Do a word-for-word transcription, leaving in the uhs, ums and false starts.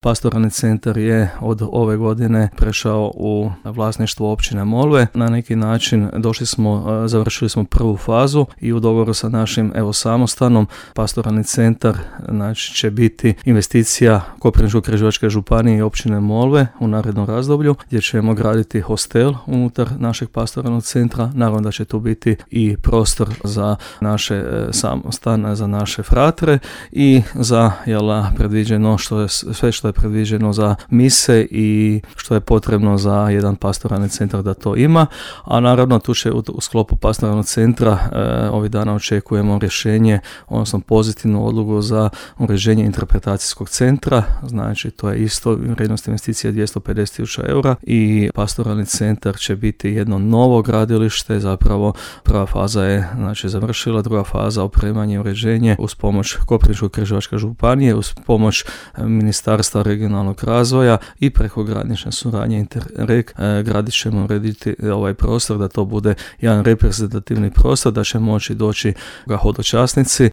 Pastoralni centar je od ove godine prešao u vlasništvo općine Molve. Na neki način došli smo, završili smo prvu fazu i u dogovoru sa našim evo samostanom Pastoralni centar znači, će biti investicija Koprivničko-križevačke županije i općine Molve u narednom razdoblju gdje ćemo graditi hostel unutar našeg pastoralnog centra. Naravno da će tu biti i prostor za naše samostan, za naše fratre i za jela, predviđeno što je sve što je predviđeno za mise i što je potrebno za jedan pastoralni centar da to ima, a naravno tu će u, u sklopu pastoralnog centra e, ovih dana očekujemo rješenje, odnosno pozitivnu odluku za uređenje interpretacijskog centra, znači to je isto vrijednost investicije dvjesto pedeset tisuća eura i pastoralni centar će biti jedno novo gradilište, zapravo prva faza je znači završila, druga faza opremanje i uređenje uz pomoć Koprivničko-križevačke županije, uz pomoć Ministarstva regionalnog razvoja i prekogranične suradnje Interreg e, gradit ćemo urediti ovaj prostor da to bude jedan reprezentativni prostor, da će moći doći ga hodočasnici